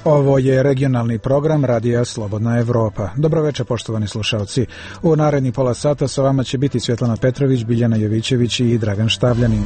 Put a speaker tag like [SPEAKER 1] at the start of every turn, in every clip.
[SPEAKER 1] Ovo je regionalni program Radija Slobodna Evropa. Dobroveče, poštovani slušalci. U narednih pola sata sa vama će biti Svjetlana Petrović, Biljana Jovićević i Dragan Štavljanin.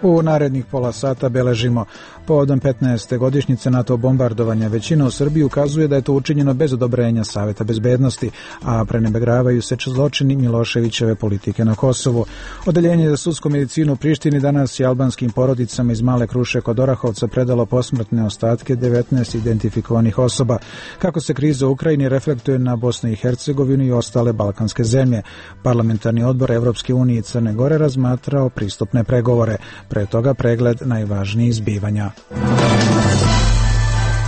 [SPEAKER 1] U narednih pola sata beležimo povodom 15. godišnjice NATO bombardovanja. Većina u Srbiji ukazuje da je to učinjeno bez odobrenja Saveta bezbednosti, a prenebregavaju se zločini Miloševićeve politike na Kosovu. Odeljenje za sudsku medicinu u Prištini danas je albanskim porodicama iz Male Kruše kod Orahovca predalo posmrtne ostatke 19 identifikovanih osoba. Kako se kriza u Ukrajini reflektuje na Bosnu i Hercegovinu i ostale balkanske zemlje. Parlamentarni odbor Evropske unije i Crne Gore razmatrao pristupne pregovore. Pre toga pregled najvažnijih zbivanja.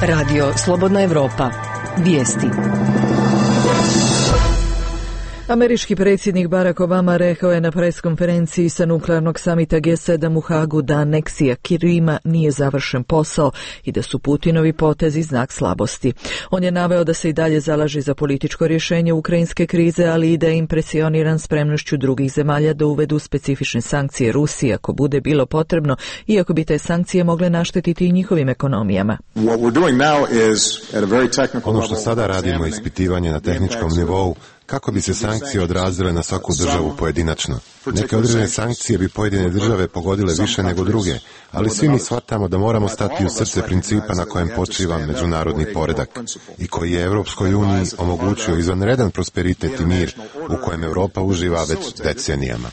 [SPEAKER 2] Radio Slobodna Evropa. Vijesti. Američki predsjednik Barack Obama rekao je na preskonferenciji sa nuklearnog samita G7 u Hagu da aneksija Krima nije završen posao i da su Putinovi potezi znak slabosti. On je naveo da se i dalje zalaže za političko rješenje ukrajinske krize, ali i da je impresioniran spremnošću drugih zemalja da uvedu specifične sankcije Rusiji ako bude bilo potrebno, iako bi te sankcije mogle naštetiti i njihovim ekonomijama.
[SPEAKER 3] Ono što sada radimo je ispitivanje na tehničkom nivou kako bi se sankcije odrazile na svaku državu pojedinačno. Neke određene sankcije bi pojedine države pogodile više nego druge, ali svi mi shvatamo da moramo stati u srce principa na kojem počiva međunarodni poredak i koji je Evropskoj uniji omogućio izvanredan prosperitet i mir u kojem Evropa uživa već decenijama.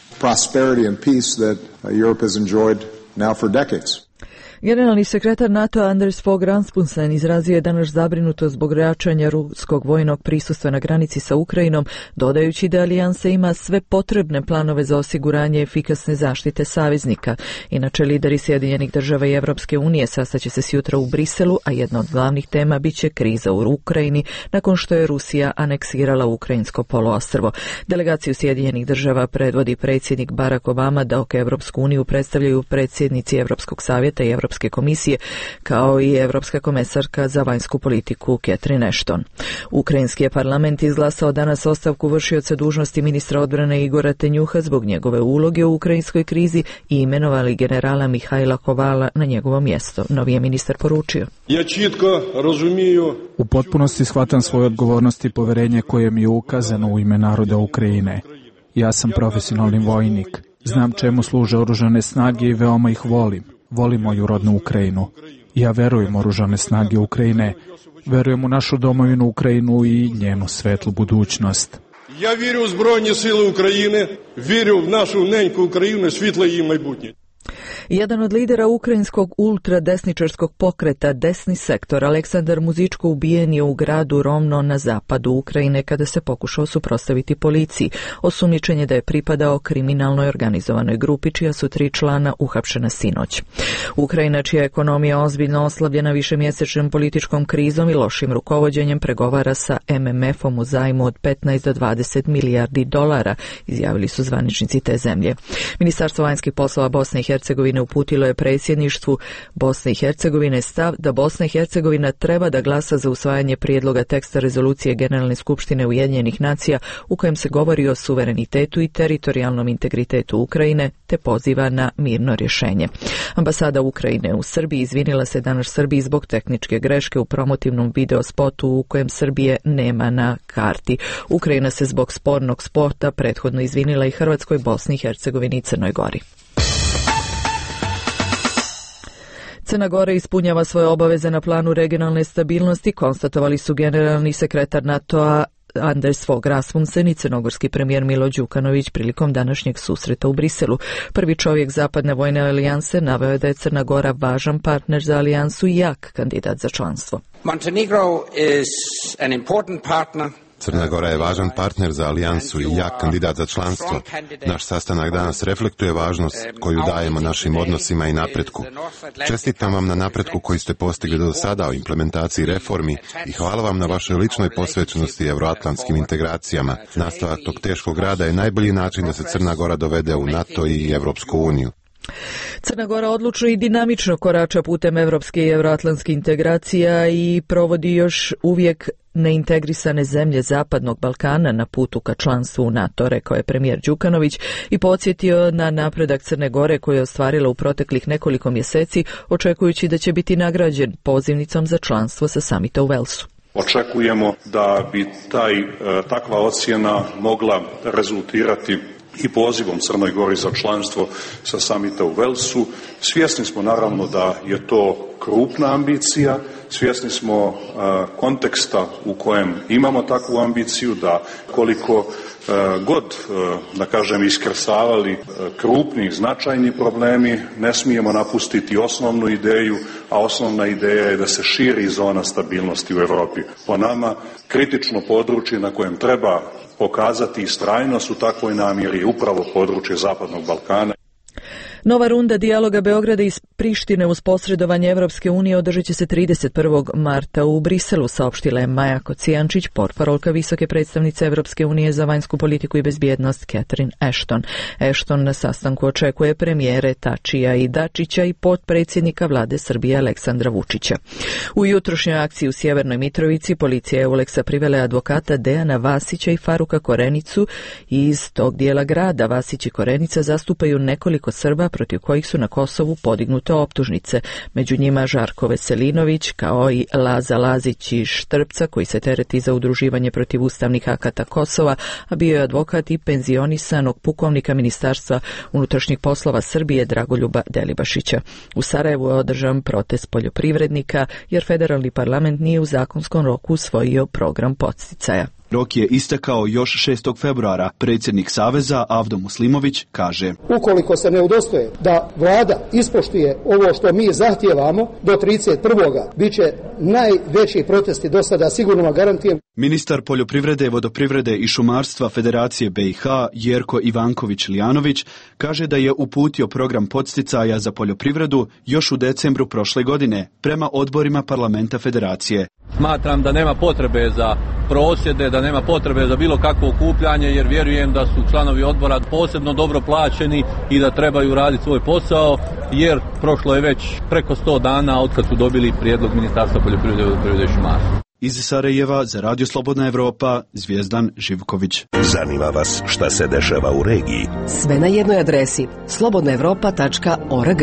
[SPEAKER 2] Generalni sekretar NATO-a Anders Fogh Rasmussen izrazio je danas zabrinutost zbog jačanja ruskog vojnog prisustva na granici sa Ukrajinom, dodajući da alijansa ima sve potrebne planove za osiguranje efikasne zaštite saveznika. Inače, lideri Sjedinjenih država i Evropske unije sastaće se sjutra u Briselu, a jedna od glavnih tema biće kriza u Ukrajini nakon što je Rusija aneksirala ukrajinsko poluostrvo. Delegaciju Sjedinjenih država predvodi predsjednik Barack Obama, dok Evropsku uniju predstavljaju predsjednici Evropskog savjeta i Evropske komisije, kao i Evropska komesarka za vanjsku politiku Catherine Ashton. Ukrajinski je parlament izglasao danas ostavku vršioca dužnosti ministra odbrane Igora Tenjuha zbog njegove uloge u ukrajinskoj krizi i imenovali generala Mihajla Kovala na njegovo mjesto. Novi je ministar poručio:
[SPEAKER 4] U potpunosti shvatam svoje odgovornosti i poverenje koje mi je ukazano u ime naroda Ukrajine. Ja sam profesionalni vojnik. Znam čemu služe oružane snage i veoma ih volim. Volim moju rodnu Ukrajinu. Ja verujem u oružane snage Ukrajine, verujem u našu domovinu Ukrajinu i njenu svetlu budućnost.
[SPEAKER 5] Ja vjerujem u Збройні сили України, vjerujem u našu nenjku Ukrajinu i svjetlo її майбутнє.
[SPEAKER 2] Jedan od lidera ukrajinskog ultradesničarskog pokreta Desni sektor, Aleksandar Muzičko, ubijen je u gradu Rovno na zapadu Ukrajine kada se pokušao suprotstaviti policiji. Osumnjičen je da je pripadao kriminalnoj organizovanoj grupi čija su 3 člana uhapšena sinoć. Ukrajina, čija je ekonomija ozbiljno oslabljena višemjesečnom političkom krizom i lošim rukovođenjem, pregovara sa MMF-om u zajmu od 15 do 20 milijardi dolara, izjavili su zvaničnici te zemlje. Ministarstvo vanjskih poslova Bosne i Hercegovine uputilo je predsjedništvu Bosne i Hercegovine stav da Bosna i Hercegovina treba da glasa za usvajanje prijedloga teksta rezolucije Generalne skupštine Ujedinjenih nacija u kojem se govori o suverenitetu i teritorijalnom integritetu Ukrajine te poziva na mirno rješenje. Ambasada Ukrajine u Srbiji izvinila se danas Srbiji zbog tehničke greške u promotivnom video spotu u kojem Srbije nema na karti. Ukrajina se zbog spornog spota prethodno izvinila i Hrvatskoj, Bosni i Hercegovini i Crnoj Gori. Crna Gora ispunjava svoje obaveze na planu regionalne stabilnosti, konstatovali su generalni sekretar NATO-a Anders Fogh Rasmussen i crnogorski premijer Milo Đukanović prilikom današnjeg susreta u Briselu. Prvi čovjek Zapadne vojne alijanse naveo je da je Crna Gora važan partner za alijansu i jak kandidat za članstvo.
[SPEAKER 6] Montenegro is an important partner.
[SPEAKER 3] Crna Gora je važan partner za alijansu i jak kandidat za članstvo. Naš sastanak danas reflektuje važnost koju dajemo našim odnosima i napretku. Čestitam vam na napretku koji ste postigli do sada u implementaciji reformi i hvala vam na vašoj ličnoj posvećenosti evroatlantskim integracijama. Nastavak tog teškog rada je najbolji način da se Crna Gora dovede u NATO i Evropsku uniju.
[SPEAKER 2] Crna Gora odlučno i dinamično korača putem evropske i evroatlantskih integracija i provodi još uvijek neintegrisane zemlje Zapadnog Balkana na putu ka članstvu u NATO, rekao je premijer Đukanović i podsjetio na napredak Crne Gore koju je ostvarila u proteklih nekoliko mjeseci, očekujući da će biti nagrađen pozivnicom za članstvo sa samita u Velsu.
[SPEAKER 7] Očekujemo da bi takva ocjena mogla rezultirati i pozivom Crnoj Gori za članstvo sa samita u Velsu. Svjesni smo naravno da je to krupna ambicija, svjesni smo konteksta u kojem imamo takvu ambiciju, da koliko god, da kažem, iskrsavali krupni, značajni problemi, ne smijemo napustiti osnovnu ideju, a osnovna ideja je da se širi zona stabilnosti u Europi. Po nama, kritično područje na kojem treba pokazati istrajnost u takvoj namjeri je upravo područje Zapadnog Balkana.
[SPEAKER 2] Nova runda dijaloga Beograda iz Prištine uz posredovanje Evropske unije održat će se 31. marta u Briselu, saopštila je Maja Kocijančić, portparolka visoke predstavnice Evropske unije za vanjsku politiku i bezbjednost Catherine Ashton. Ashton na sastanku očekuje premijere Tačija i Dačića i potpredsjednika vlade Srbije Aleksandra Vučića. U jutrošnjoj akciji u Sjevernoj Mitrovici policija je Euleksa privela advokata Dejana Vasića i Faruka Korenicu iz tog dijela grada. Vasić i Korenica zastupaju nekoliko Srba protiv kojih su na Kosovu podignute optužnice. Među njima Žarko Veselinović, kao i Laza Lazić iz Štrpca, koji se tereti za udruživanje protiv ustavnih akata Kosova, a bio je advokat i penzionisanog pukovnika Ministarstva unutrašnjih poslova Srbije Dragoljuba Delibašića. U Sarajevu je održan protest poljoprivrednika, jer federalni parlament nije u zakonskom roku usvojio program podsticaja.
[SPEAKER 8] Rok je istekao još 6. februara. Predsjednik Saveza Avdo Muslimović kaže:
[SPEAKER 9] ukoliko se ne udostoje da vlada ispoštuje ovo što mi zahtijevamo do 31. bit će najveći protesti do sada, sigurno vam garantijem.
[SPEAKER 8] Ministar poljoprivrede, vodoprivrede i šumarstva Federacije BiH Jerko Ivanković-Lijanović kaže da je uputio program podsticaja za poljoprivredu još u decembru prošle godine prema odborima parlamenta Federacije.
[SPEAKER 10] Smatram da nema potrebe za prosvjede, da nema potrebe za bilo kakvo okupljanje, jer vjerujem da su članovi odbora posebno dobro plaćeni i da trebaju raditi svoj posao, jer prošlo je već preko 100 dana od kad su dobili prijedlog Ministarstva poljoprivrede, vodoprivrede i šumarstva.
[SPEAKER 8] Iz Sarajeva za Radio Slobodna Evropa, Zvijezdan Živković.
[SPEAKER 11] Zanima vas šta se dešava u regiji?
[SPEAKER 12] Sve na jednoj adresi, slobodnaevropa.org.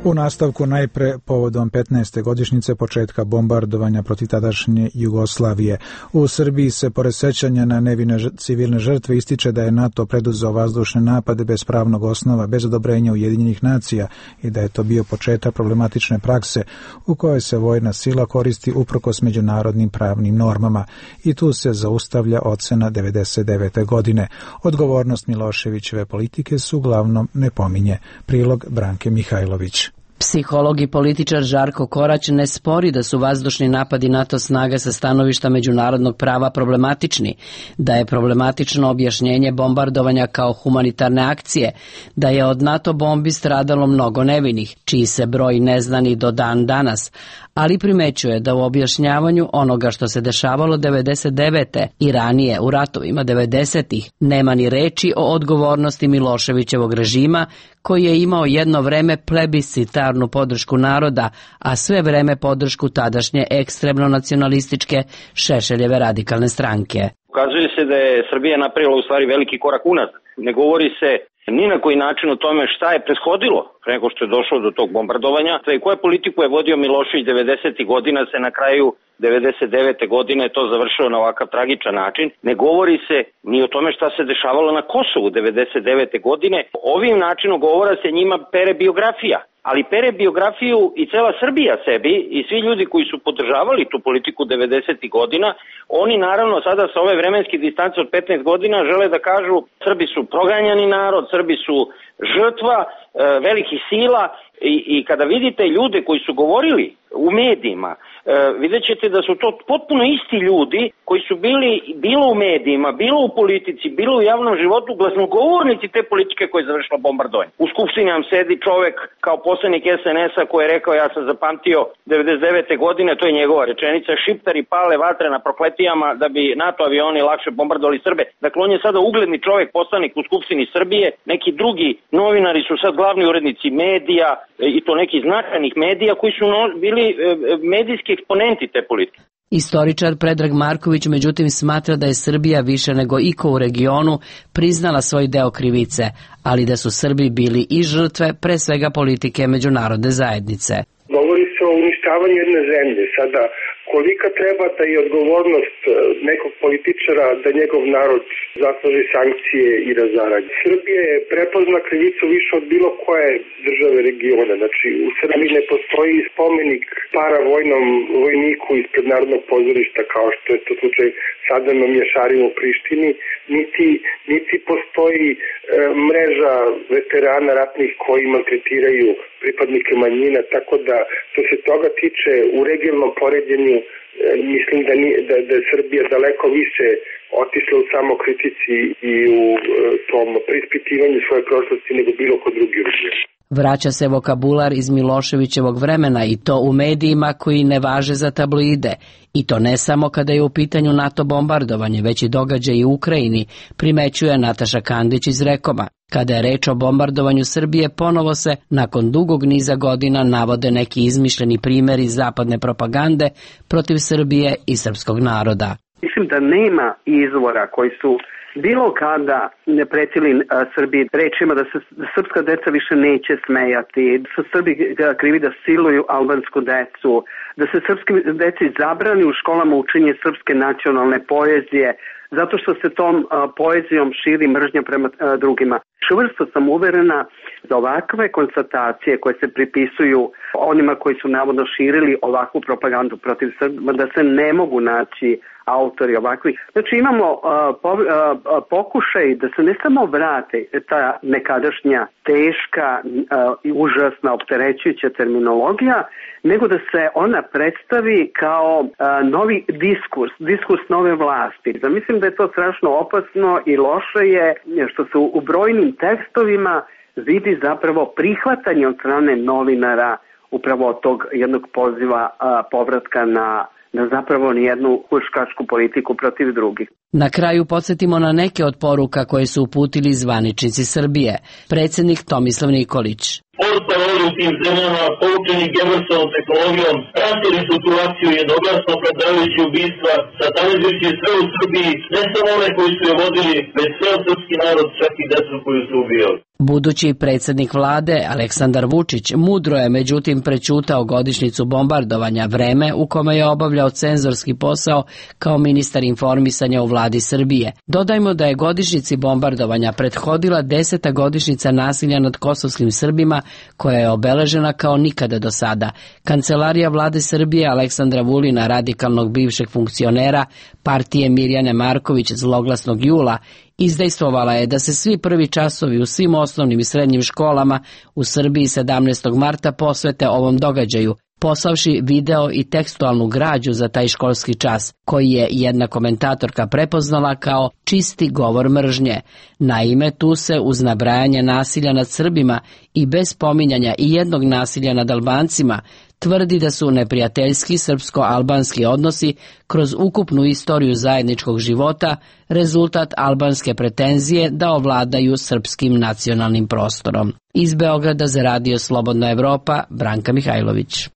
[SPEAKER 1] U nastavku najpre povodom 15. godišnjice početka bombardovanja protiv tadašnje Jugoslavije. U Srbiji se pored sećanja na nevine civilne žrtve ističe da je NATO preduzeo vazdušne napade bez pravnog osnova, bez odobrenja Ujedinjenih nacija i da je to bio početak problematične prakse u kojoj se vojna sila koristi uprkos međunarodnim pravnim normama. I tu se zaustavlja ocena 99. godine. Odgovornost Miloševićeve politike se uglavnom ne pominje. Prilog Branke Mihajlović.
[SPEAKER 13] Psiholog i političar Žarko Korać ne spori da su vazdušni napadi NATO snaga sa stanovišta međunarodnog prava problematični, da je problematično objašnjenje bombardovanja kao humanitarne akcije, da je od NATO bombi stradalo mnogo nevinih, čiji se broj ne zna ni do dan danas, ali primećuje da u objašnjavanju onoga što se dešavalo 99. i ranije u ratovima 90. nema ni reči o odgovornosti Miloševićevog režima, koji je imao jedno vreme plebiscitarnu podršku naroda, a sve vreme podršku tadašnje ekstremno nacionalističke Šešeljeve radikalne stranke.
[SPEAKER 14] Ukazuje se da je Srbija napravila u stvari veliki korak unazad. Ne govori se ni na koji način o tome šta je prethodilo pre nego što je došlo do tog bombardovanja i koju politiku je vodio Milošević 90. godina, se na kraju 99. godine to završilo na ovakav tragičan način. Ne govori se ni o tome šta se dešavalo na Kosovu 99. godine. Ovim načinom govora se njima pere biografija. Ali pere biografiju i cela Srbija sebi i svi ljudi koji su podržavali tu politiku 90. godina, oni naravno sada sa ove vremenske distance od 15 godina žele da kažu Srbi su proganjani narod, Srbi su žrtva velikih sila i kada vidite ljude koji su govorili u medijima, vidjet ćete da su to potpuno isti ljudi koji su bili bilo u medijima, bilo u politici, bilo u javnom životu, glasnogovornici te politike koje je završila bombardovanje. U skupštini nam sedi čovek kao poslanik SNS-a koji je rekao, ja sam zapamtio 99. godine, to je njegova rečenica, šiptari pale vatre na prokletijama da bi NATO avioni lakše bombardovali Srbe. Dakle, on je sada ugledni čovek, poslanik u skupštini Srbije, neki drugi novinari su sad glavni urednici medija, i to nekih značajnih medija koji su bili medijski eksponenti te politike.
[SPEAKER 13] Istoričar Predrag Marković međutim smatra da je Srbija više nego iko u regionu priznala svoj deo krivice, ali da su Srbi bili i žrtve pre svega politike međunarodne zajednice.
[SPEAKER 15] Govori se o uništavanju jedne zemlje. Sada, kolika treba da je odgovornost nekog političara da njegov narod zasluži sankcije i razaranje? Srbija je prepozna krivicu više od bilo koje države regiona. Znači, u Srbiji ne postoji spomenik paravojnom vojniku ispred Narodnog pozorišta, kao što je to slučaj Sadano Mješarima u Prištini, niti postoji mreža veterana ratnih koji maltretiraju pripadnike manjina, tako da što se toga tiče u regionalnom poređenju mislim da je Srbija daleko više otišla u samokritici i u tom preispitivanju svoje prošlosti nego bilo ko drugi u regionu.
[SPEAKER 13] Vraća se vokabular iz Miloševićevog vremena i to u medijima koji ne važe za tabloide. I to ne samo kada je u pitanju NATO bombardovanje, već i događaj u Ukrajini, primećuje Nataša Kandić iz Rekoma. Kada je reč o bombardovanju Srbije, ponovo se, nakon dugog niza godina, navode neki izmišljeni primjeri zapadne propagande protiv Srbije i srpskog naroda.
[SPEAKER 16] Mislim da nema izvora koji su bilo kada ne pretili Srbiji rečima da se srpska deca više neće smejati, da su Srbi krivi da siluju albansku decu, da se srpski deci zabrani u školama učenje srpske nacionalne poezije, zato što se tom poezijom širi mržnja prema drugima. Čvrsto sam uverena da ovakve konstatacije koje se pripisuju onima koji su navodno širili ovakvu propagandu protiv Srba, da se ne mogu naći autori ovakvih. Znači imamo pokušaj da se ne samo vrate ta nekadašnja teška i užasna opterećujuća terminologija, nego da se ona predstavi kao novi diskurs nove vlasti. Da mislim da je to strašno opasno i loše je što se u brojnim tekstovima vidi zapravo prihvatanje od strane novinara upravo tog jednog poziva povratka na zapravo nijednu huškačku politiku protiv drugih.
[SPEAKER 13] Na kraju podsjetimo na neke od poruka koje su uputili zvaničnici Srbije. Predsjednik Tomislav Nikolić.
[SPEAKER 17] Portparoli u tim zemljama, poučeni Gebelsovom tehnologijom, pratili situaciju jednoglasno opravdavajući ubistva, satanizujući sve u Srbiji, ne samo one koji su je vodili, već sve srpski narod, čak i decu koju su ubijali.
[SPEAKER 13] Budući predsjednik vlade Aleksandar Vučić mudro je međutim prećutao godišnjicu bombardovanja, vreme u kome je obavljao cenzorski posao kao ministar informisanja u vladi Srbije. Dodajmo da je godišnjici bombardovanja prethodila 10. godišnjica nasilja nad kosovskim Srbima koja je obeležena kao nikada do sada. Kancelarija vlade Srbije Aleksandra Vulina, radikalnog bivšeg funkcionera partije Mirjane Marković zloglasnog jula, izdejstvovala je da se svi prvi časovi u svim osnovnim i srednjim školama u Srbiji 17. marta posvete ovom događaju, poslavši video i tekstualnu građu za taj školski čas, koji je jedna komentatorka prepoznala kao čisti govor mržnje. Naime, tu se uz nabrajanje nasilja nad Srbima i bez pominjanja i jednog nasilja nad Albancima tvrdi da su neprijateljski srpsko-albanski odnosi kroz ukupnu istoriju zajedničkog života rezultat albanske pretenzije da ovladaju srpskim nacionalnim prostorom. Iz Beograda za Radio Slobodna Evropa, Branka Mihajlović.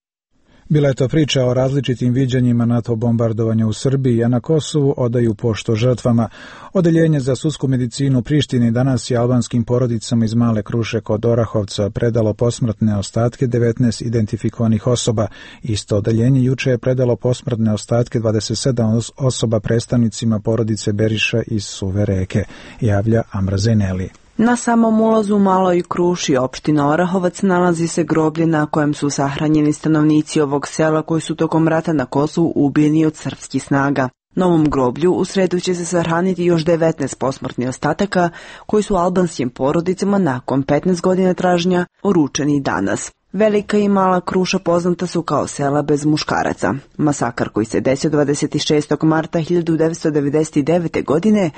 [SPEAKER 1] Bila je to priča o različitim viđanjima NATO bombardovanja u Srbiji, a na Kosovu odaju pošto žrtvama. Odeljenje za sudsku medicinu u Prištini danas je albanskim porodicama iz Male Kruše kod Orahovca predalo posmrtne ostatke 19 identifikovanih osoba. Isto odeljenje juče je predalo posmrtne ostatke 27 osoba predstavnicima porodice Beriša iz Suve Reke, javlja Amra Zeneli.
[SPEAKER 18] Na samom ulazu u Maloj Kruši, opština Orahovac, nalazi se groblje na kojem su sahranjeni stanovnici ovog sela koji su tokom rata na Kosovu ubijeni od srpskih snaga. Na ovom groblju u sredu će se sahraniti još 19 posmrtnih ostataka koji su albanskim porodicama nakon 15 godina traženja uručeni danas. Velika i Mala Kruša poznata su kao sela bez muškaraca. Masakar koji se desio 26. marta 1999. godine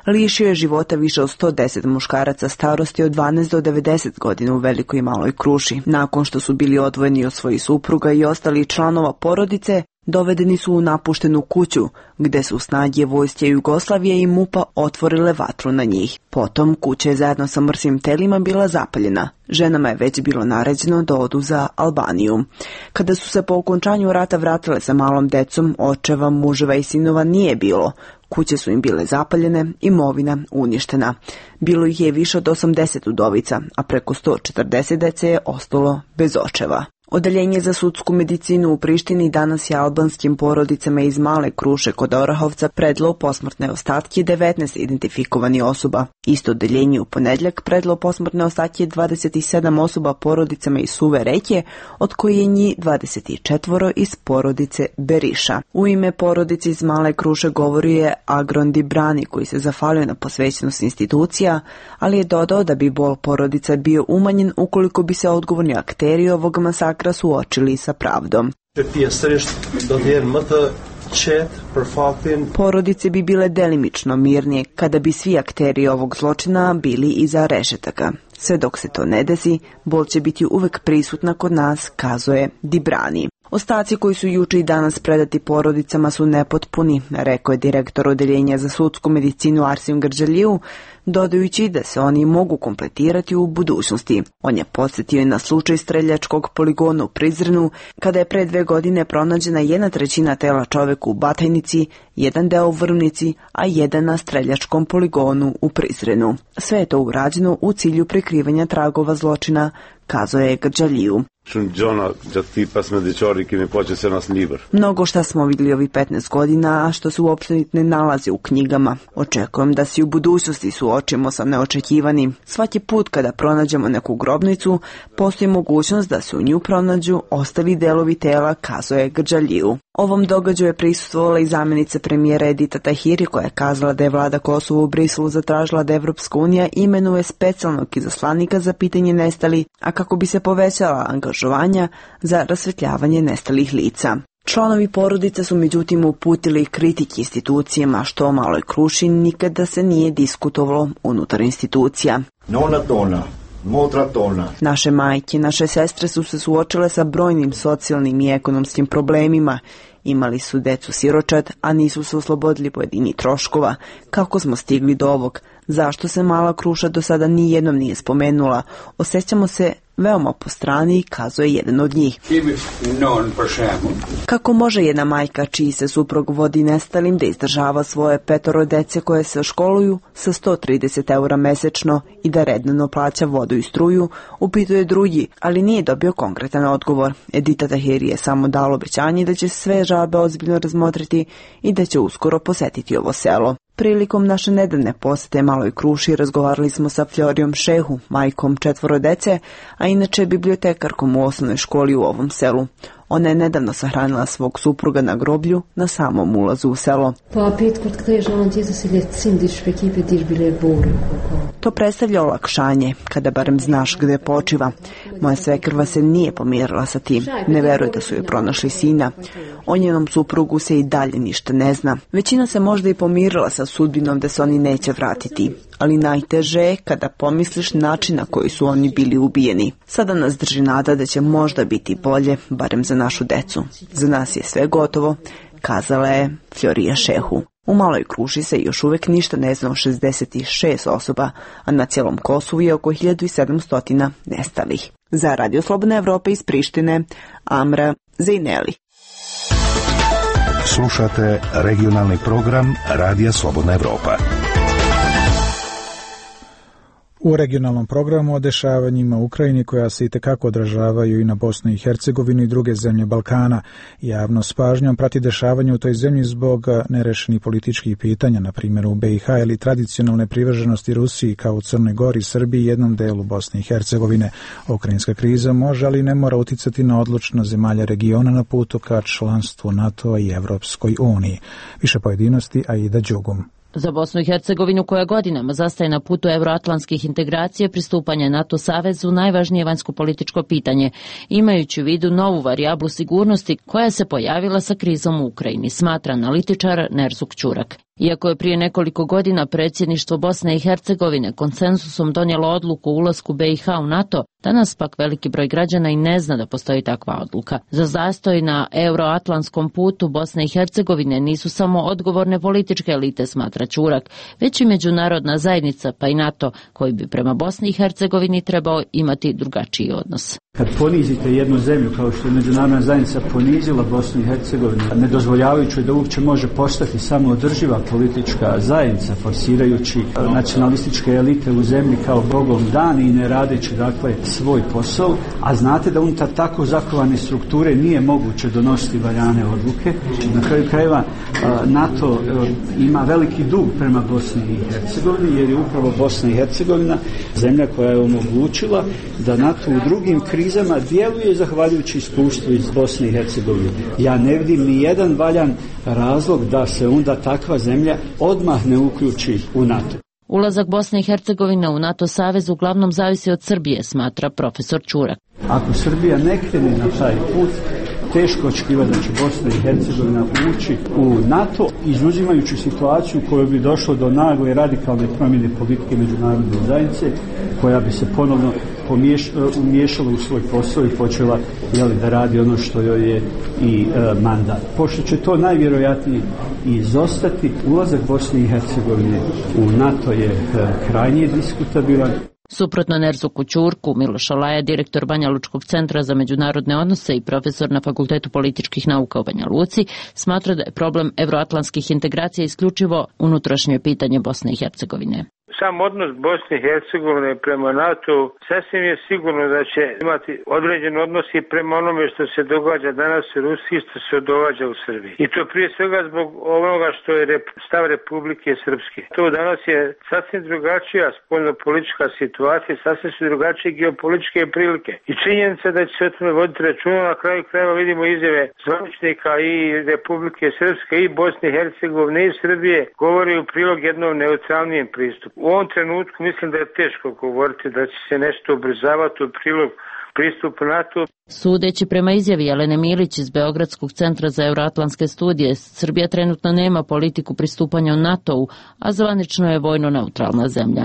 [SPEAKER 18] lišio je života više od 110 muškaraca starosti od 12 do 90 godina u Velikoj i Maloj Kruši. Nakon što su bili odvojeni od svojih supruga i ostalih članova porodice, dovedeni su u napuštenu kuću, gde su snage vojske Jugoslavije i MUP-a otvorile vatru na njih. Potom kuća je zajedno sa mrtvim telima bila zapaljena. Ženama je već bilo naređeno da odu za Albaniju. Kada su se po okončanju rata vratile sa malom decom, očeva, muževa i sinova nije bilo. Kuće su im bile zapaljene, imovina uništena. Bilo ih je više od 80 udovica, a preko 140 dece je ostalo bez očeva. Odeljenje za sudsku medicinu u Prištini danas je albanskim porodicama iz Male Kruše kod Orahovca predalo posmrtne ostatke 19 identifikovanih osoba. Isto odeljenje u ponedjeljak predalo posmrtne ostatke 27 osoba porodicama iz Suve Reke, od koje je njih 24 iz porodice Beriša. U ime porodice iz Male Kruše govorio je Agron Dibrani, koji se zahvalio na posvećenost institucija, ali je dodao da bi bol porodica bio umanjen ukoliko bi se odgovorni akteri ovog masakra suočili sa pravdom. Porodice bi bile delimično mirnije kada bi svi akteri ovog zločina bili iza rešetaka. Sve dok se to ne desi, bol će biti uvek prisutna kod nas, kazuje Dibrani. Ostaci koji su juče i danas predati porodicama su nepotpuni, rekao je direktor odeljenja za sudsku medicinu Arsim Grđaliju, dodajući da se oni mogu kompletirati u budućnosti. On je podsjetio i na slučaj streljačkog poligona u Prizrenu, kada je pre 2 godine pronađena 1/3 tela čoveka u Batajnici, 1 deo u Vrvnici, a 1 na streljačkom poligonu u Prizrenu. Sve je to urađeno u cilju prikrivanja tragova zločina, kazao je Grđaliju. Mnogo šta smo vidjeli ovih 15 godina, a što se uopšte ne nalazi u knjigama. Očekujem da se u budućnosti suočimo sa neočekivanim. Svaki put kada pronađemo neku grobnicu, postoji mogućnost da se u nju pronađu ostali delovi tela, kazao je Grđaliju. Ovom događaju je prisustvovala i zamjenica premijera Edita Tahiri, koja je kazala da je vlada Kosova u Briselu zatražila da Evropska unija imenuje specijalnog izaslanika za pitanje nestalih, a kako bi se povećala angažovanja za rasvetljavanje nestalih lica. Članovi porodice su međutim uputili kritike institucijama, što o Maloj Kruši nikada se nije diskutovalo unutar institucija. Naše majke, naše sestre su se suočile sa brojnim socijalnim i ekonomskim problemima. Imali su decu siročad, a nisu se oslobodili pojedini troškova. Kako smo stigli do ovog? Zašto se Mala Kruša do sada nijednom nije spomenula? Osjećamo se veoma po strani, kazuje jedan od njih. Kako može jedna majka čiji se suprug vodi nestalim da izdržava svoje 5 dece koje se školuju sa 130 eura mesečno i da redno plaća vodu i struju, upituje drugi, ali nije dobio konkretan odgovor. Edita Tahiri je samo dala obećanje da će sve žalbe ozbiljno razmotriti i da će uskoro posetiti ovo selo. Prilikom naše nedavne posete Maloj Kruši razgovarali smo sa Florijom Šehu, majkom 4 dece, a inače bibliotekarkom u osnovnoj školi u ovom selu. Ona je nedavno sahranila svog supruga na groblju na samom ulazu u selo. To predstavlja olakšanje, kada barem znaš gde počiva. Moja svekrva se nije pomirila sa tim. Ne veruje da su joj pronašli sina. O njenom suprugu se i dalje ništa ne zna. Većina se možda i pomirila sa sudbinom da se oni neće vratiti. Ali najteže je kada pomisliš način na koji su oni bili ubijeni. Sada nas drži nada da će možda biti bolje, barem za našu decu. Za nas je sve gotovo, kazala je Florija Šehu. U Maloj Kruši se još uvek ništa ne zna o 66 osoba, a na cijelom Kosovu je oko 1700 nestalih. Za Radio Slobodna Evropa iz Prištine, Amra Zejneli.
[SPEAKER 11] Slušate regionalni program Radija Slobodna Evropa.
[SPEAKER 1] U regionalnom programu o dešavanjima u Ukrajini, koja se itekako odražavaju i na Bosnu i Hercegovinu i druge zemlje Balkana. Javno s pažnjom prati dešavanje u toj zemlji zbog nerešenih političkih pitanja, na primjer u BiH, ili tradicionalne privrženosti Rusiji kao u Crnoj Gori, Srbiji i jednom delu Bosne i Hercegovine. Ukrajinska kriza može, ali ne mora uticati na odlučnost zemalja regiona na putu ka članstvu NATO i Evropskoj uniji. Više pojedinosti, Aida Đugum.
[SPEAKER 19] Za Bosnu i Hercegovinu, koja godinama zastaje na putu euroatlantskih integracija, pristupanje NATO savezu najvažnije vanjsko-političko pitanje, imajući u vidu novu varijablu sigurnosti koja se pojavila sa krizom u Ukrajini, smatra analitičar Nerzuk Ćurak. Iako je prije nekoliko godina predsjedništvo Bosne i Hercegovine konsenzusom donijelo odluku o ulasku BiH u NATO, danas pak veliki broj građana i ne zna da postoji takva odluka. Za zastoj na euroatlantskom putu Bosne i Hercegovine nisu samo odgovorne političke elite, smatra Čurak, već i međunarodna zajednica pa i NATO, koji bi prema Bosni i Hercegovini trebao imati drugačiji odnos.
[SPEAKER 20] Kad ponizite jednu zemlju kao što je međunarodna zajednica ponizila Bosnu i Hercegovinu, ne dozvoljavajući da uopće može postati samoodrživa politička zajednica, forsirajući nacionalističke elite u zemlji kao bogom dan i ne radeći dakle svoj posao, a znate da unutar tako zakovane strukture nije moguće donositi valjane odluke. Na kraju krajeva NATO ima veliki dug prema Bosni i Hercegovini, jer je upravo Bosna i Hercegovina zemlja koja je omogućila da NATO u drugim krizama djeluje zahvaljujući iskustvu iz Bosne i Hercegovine. Ja ne vidim ni jedan valjan razlog da se onda takva zemlja odmah ne uključi u NATO.
[SPEAKER 19] Ulazak Bosne i Hercegovine u NATO savez uglavnom zavisi od Srbije, smatra profesor Čurak.
[SPEAKER 20] Ako Srbija ne krene na taj put, teško očekivati da će Bosna i Hercegovina ući u NATO, izuzimajući situaciju u kojoj bi došlo do nagle radikalne promjene politike međunarodne zajednice, koja bi se ponovno umiješala u svoj posao i počela da radi ono što joj je i mandat. Pošto će to najvjerojatnije izostati, ulazak Bosne i Hercegovine u NATO je krajnje diskutabilan.
[SPEAKER 19] Suprotno Nerzuku Ćurku, Miloš Olaja, direktor Banja Lučkog centra za međunarodne odnose i profesor na Fakultetu političkih nauka u Banja Luci, smatra da je problem evroatlantskih integracija isključivo unutrašnje pitanje Bosne i Hercegovine.
[SPEAKER 21] Sam odnos Bosne i Hercegovine prema NATO sasvim je sigurno da će imati određen odnos i prema onome što se događa danas u Rusiji, što se događa u Srbiji. I to prije svega zbog onoga što je stav Republike Srpske. To danas je sasvim drugačija spoljno-politička situacija, sasvim su drugačije geopolitičke prilike. I činjenica da će se o tome voditi računa, na kraju krajeva vidimo izjave zvaničnika i Republike Srpske i Bosne i Hercegovine i Srbije govori u prilog jednom neutralnijem pristupu. U ovom trenutku mislim da je teško govoriti da će se nešto ubrzavati u prilog pristupu NATO.
[SPEAKER 19] Sudeći prema izjavi Jelene Milić iz Beogradskog centra za euroatlantske studije, Srbija trenutno nema politiku pristupanja u NATO-u, a zvanično je vojno neutralna zemlja.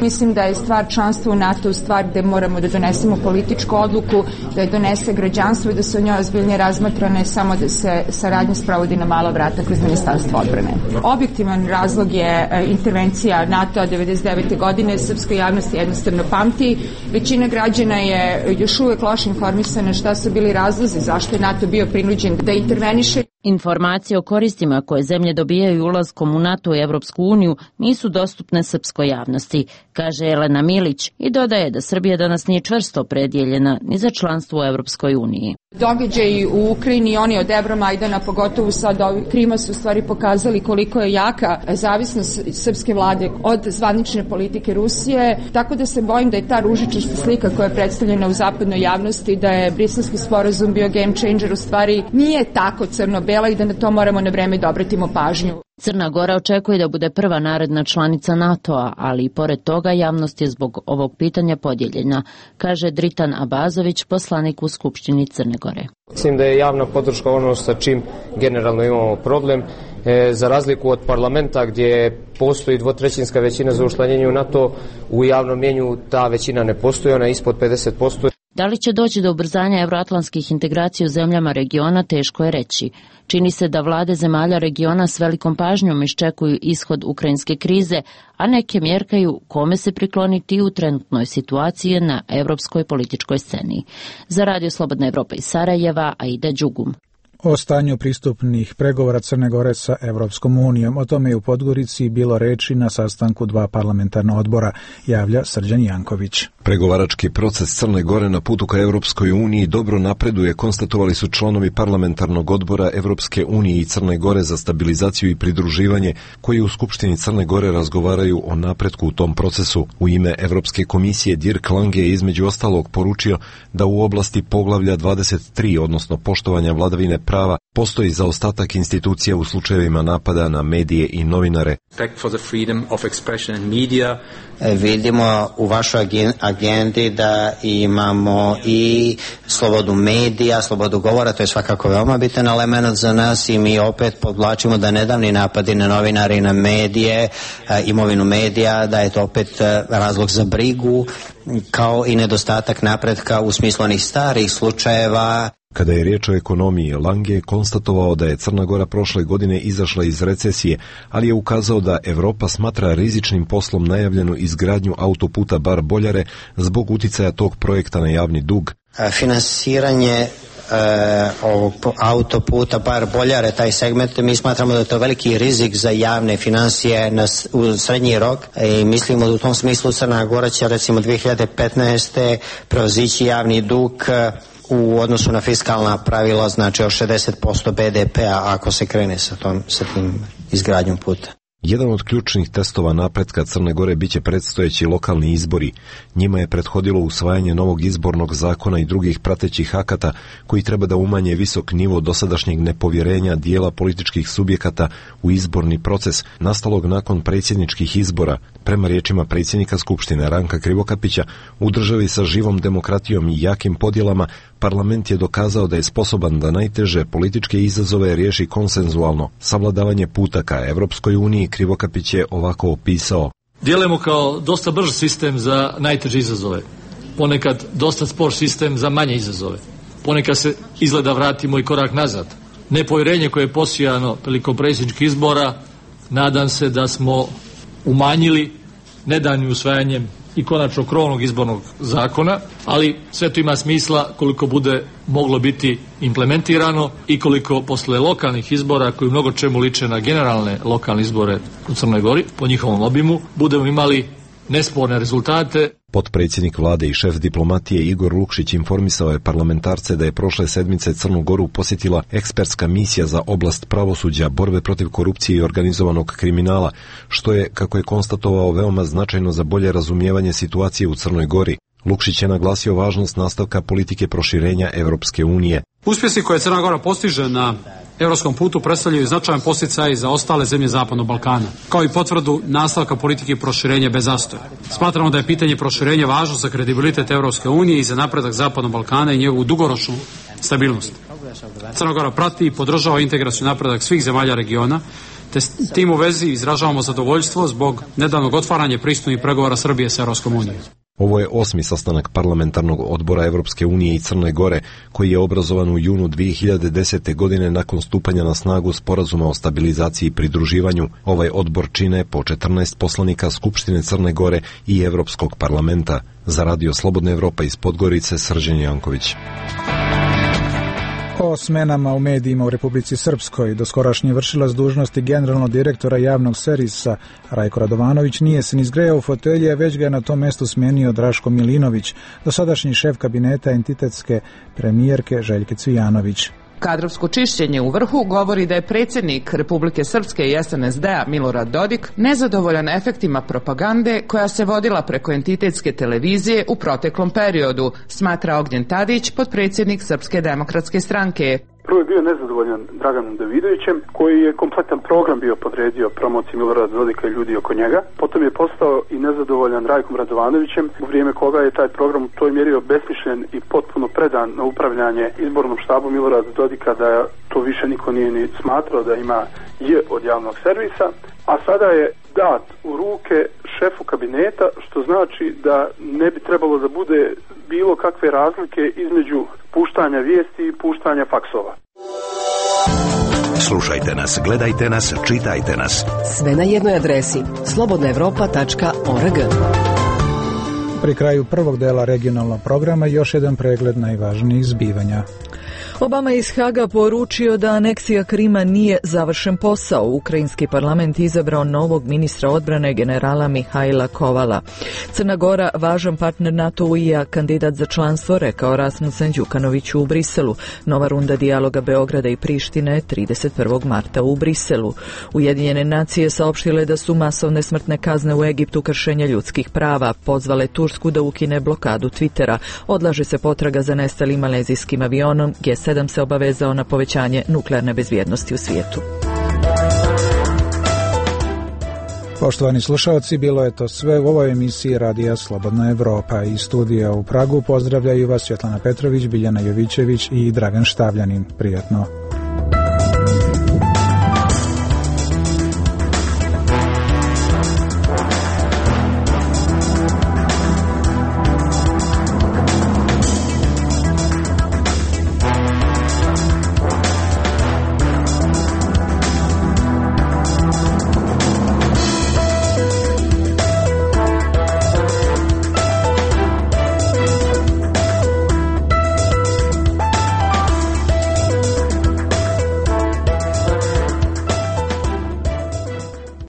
[SPEAKER 22] Mislim da je stvar članstva u NATO stvar gde moramo da donesemo političku odluku, da je donese građanstvo i da se o njoj ozbiljnije razmatra, ne samo da se saradnja sprovodi na mala vrata kroz Ministarstvo odbrane. Objektivan razlog je intervencija NATO-a 1999. godine. Srpska javnost jednostavno pamti. Većina građana je još uvek loše informisana šta su bili razlozi zašto je NATO bio prinuđen da interveniše.
[SPEAKER 19] Informacije o koristima koje zemlje dobijaju ulaskom u NATO i Evropsku uniju nisu dostupne srpskoj javnosti, kaže Jelena Milić i dodaje da Srbija danas nije čvrsto opredjeljena ni za članstvo u Evropskoj uniji.
[SPEAKER 22] Događaji u Ukrajini, oni od Evromajdana, pogotovo sad Krima, su u stvari pokazali koliko je jaka zavisnost srpske vlade od zvanične politike Rusije, tako da se bojim da je ta ružičasta slika koja je predstavljena u zapadnoj javnosti, da je Briselski sporazum bio game changer, u stvari nije tako crno-bela i da na to moramo na vreme da obratimo pažnju.
[SPEAKER 19] Crna Gora očekuje da bude prva naredna članica NATO-a, ali i pored toga javnost je zbog ovog pitanja podijeljena, kaže Dritan Abazović, poslanik u Skupštini Crne Gore.
[SPEAKER 23] Mislim da je javna podrška ono sa čim generalno imamo problem, za razliku od parlamenta gdje postoji dvotrećinska većina za učlanjenje u NATO, u javnom mjenju ta većina ne postoji, ona je ispod 50%.
[SPEAKER 19] Da li će doći do ubrzanja evroatlantskih integracija u zemljama regiona, teško je reći. Čini se da vlade zemalja regiona s velikom pažnjom iščekuju ishod ukrajinske krize, a neke mjerkaju kome se prikloniti u trenutnoj situaciji na evropskoj političkoj sceni. Za Radio Slobodna Evropa iz Sarajeva, Aida Đugum.
[SPEAKER 1] O stanju pristupnih pregovora Crne Gore sa Evropskom unijom. O tome je u Podgorici bilo reči na sastanku dva parlamentarna odbora, javlja Srđan Janković.
[SPEAKER 24] Pregovarački proces Crne Gore na putu ka Evropskoj uniji dobro napreduje, konstatovali su članovi parlamentarnog odbora Evropske unije i Crne Gore za stabilizaciju i pridruživanje, koji u Skupštini Crne Gore razgovaraju o napretku u tom procesu. U ime Evropske komisije Dirk Lange je između ostalog poručio da u oblasti poglavlja 23, odnosno poštovanja vladavine prava, postoji zaostatak institucija u slučajevima napada na medije i novinare.
[SPEAKER 25] Vidimo u vašoj
[SPEAKER 3] agendi da imamo i slobodu medija, slobodu govora, to je svakako veoma bitan element za nas i mi opet podvlačimo da nedavni napadi na novinari i na medije, imovinu medija, da je to opet razlog za brigu, kao i nedostatak napretka u smislu onih starih slučajeva.
[SPEAKER 24] Kada je riječ o ekonomiji, Lange je konstatovao da je Crna Gora prošle godine izašla iz recesije, ali je ukazao da Evropa smatra rizičnim poslom najavljenu izgradnju autoputa Bar-Boljare zbog uticaja tog projekta na javni dug.
[SPEAKER 3] Finansiranje ovog autoputa Bar-Boljare, taj segment, mi smatramo da je to veliki rizik za javne financije u srednji rok i mislimo da u tom smislu Crna Gora će recimo 2015. prevazići javni dug u odnosu na fiskalna pravila, znači o 60% BDP-a ako se krene sa tim izgradnjom puta.
[SPEAKER 24] Jedan od ključnih testova napretka Crne Gore biće predstojeći lokalni izbori. Njima je prethodilo usvajanje novog izbornog zakona i drugih pratećih akata koji treba da umanje visok nivo dosadašnjeg nepovjerenja dijela političkih subjekata u izborni proces nastalog nakon predsjedničkih izbora. Prema riječima predsjednika Skupštine Ranka Krivokapića, u državi sa živom demokratijom i jakim podjelama, parlament je dokazao da je sposoban da najteže političke izazove riješi konsenzualno. Savladavanje puta ka Evropskoj uniji Krivokapić je ovako opisao.
[SPEAKER 4] Djelujemo kao dosta brž sistem za najteže izazove. Ponekad dosta spor sistem za manje izazove. Ponekad se izgleda vratimo i korak nazad. Nepovjerenje koje je posijano prilikom predsjedničkih izbora, nadam se da smo umanjili nedavnim usvajanjem i konačno krovnog izbornog zakona, ali sve to ima smisla koliko bude moglo biti implementirano i koliko posle lokalnih izbora koji u mnogo čemu liče na generalne lokalne izbore u Crnoj Gori, po njihovom obimu, budemo imali nesporne rezultate.
[SPEAKER 24] Potpredsjednik vlade i šef diplomatije Igor Lukšić informisao je parlamentarce da je prošle sedmice Crnu Goru posjetila ekspertska misija za oblast pravosuđa, borbe protiv korupcije i organizovanog kriminala, što je, kako je konstatovao, veoma značajno za bolje razumijevanje situacije u Crnoj Gori. Lukšić je naglasio važnost nastavka politike proširenja Evropske unije.
[SPEAKER 5] Uspjesi koje Crna Gora postiže na evropskom putu predstavljaju značajan podsticaj za ostale zemlje Zapadnog Balkana, kao i potvrdu nastavka politike proširenja bez zastoja. Smatramo da je pitanje proširenja važno za kredibilitet Evropske unije i za napredak Zapadnog Balkana i njegovu dugoročnu stabilnost. Crna Gora prati i podržava integraciju napredak svih zemalja regiona, te s tim u vezi izražavamo zadovoljstvo zbog nedavnog otvaranja pristupnih pregovora Srbije sa Evropskom unijom.
[SPEAKER 24] Ovo je 8. sastanak parlamentarnog odbora Evropske unije i Crne Gore, koji je obrazovan u junu 2010. godine nakon stupanja na snagu sporazuma o stabilizaciji i pridruživanju. Ovaj odbor čine po 14 poslanika Skupštine Crne Gore i Evropskog parlamenta. Za Radio Slobodna Evropa iz Podgorice, Srđan Janković.
[SPEAKER 1] O smenama u medijima u Republici Srpskoj doskorašnji vršilac dužnosti generalnog direktora javnog servisa Rajko Radovanović nije se ni zgrejao u fotelje, već ga je na tom mjestu smenio Draško Milinović, dosadašnji šef kabineta entitetske premijerke Željke Cvijanović.
[SPEAKER 6] Kadrovsko čišćenje u vrhu govori da je predsjednik Republike Srpske i SNSD-a Milorad Dodik nezadovoljan efektima propagande koja se vodila preko entitetske televizije u proteklom periodu, smatra Ognjen Tadić, potpredsjednik Srpske demokratske stranke.
[SPEAKER 25] Prvo je bio nezadovoljan Draganom Davidovićem, koji je kompletan program bio podredio promociji Milorada Dodika i ljudi oko njega. Potom je postao i nezadovoljan Rajkom Radovanovićem, u vrijeme koga je taj program u toj mjeri obesmišljen i potpuno predan na upravljanje izbornom štabu Milorada Dodika, da to više niko nije ni smatrao da ima od javnog servisa. A sada je dat u ruke šefu kabineta, što znači da ne bi trebalo da bude bilo kakve razlike između puštanja vijesti i puštanja faksova.
[SPEAKER 11] Slušajte nas, gledajte nas, čitajte nas.
[SPEAKER 12] Sve na jednoj adresi slobodnaevropa.org.
[SPEAKER 1] Pri kraju prvog dela regionalnog programa još jedan pregled najvažnijih zbivanja.
[SPEAKER 2] Obama je iz Haga poručio da aneksija Krima nije završen posao. Ukrajinski parlament izabrao novog ministra odbrane generala Mihajla Kovala. Crna Gora, važan partner NATO-a, kandidat za članstvo, rekao Rasmussen Đukanoviću u Briselu. Nova runda dijaloga Beograda i Prištine 31. marta u Briselu. Ujedinjene nacije saopštile da su masovne smrtne kazne u Egiptu kršenje ljudskih prava. Pozvale Tursku da ukine blokadu Twittera. Odlaže se potraga za nestalim malezijskim avionom. G7 se obavezao na povećanje nuklearne bezbjednosti u svijetu.
[SPEAKER 1] Poštovani slušalci, bilo je to sve u ovoj emisiji Radija Slobodna Evropa. Iz studija u Pragu pozdravljaju vas Svetlana Petrović, Biljana Jovićević i Dragan Štavljanin. Prijatno.